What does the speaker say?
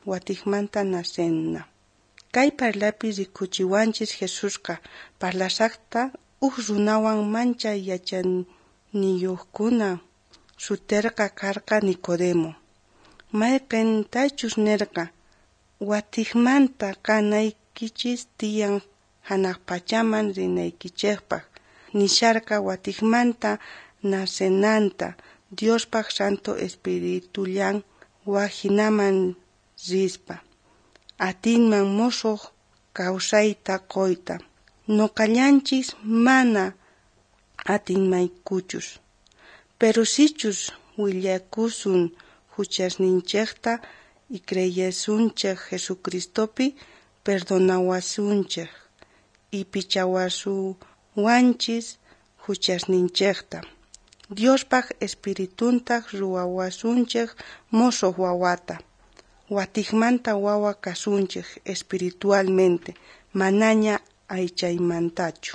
watikmanta nasenna. Kay parlapi rikuchiwanchis Jesusqa parlasaqta runawan mancha yachaniyuqkuna suterqa karqa Nicodemo. Mayqintachus nirqa, watikmanta kanaykichis tiyan hanaq pachaman rinaykichikpaq. Nisharqa watikmanta nasenanta Diospaq Santo Espiritullan wahinaman rispa. Atinman musuq kawsayta qoyta. Nuqallanchis mana atinmaykuchus. Pero sichus willakusun huchasninchikta y creyesunchik Jesucristopi perdonawasunchik y pichawasuwanchis huchasninchikta. Diospaq Espirituntaq ruwawasunchik musuq wawata. Watikmanta wawa kasunchik espiritualmente, manaña aychaymantachu.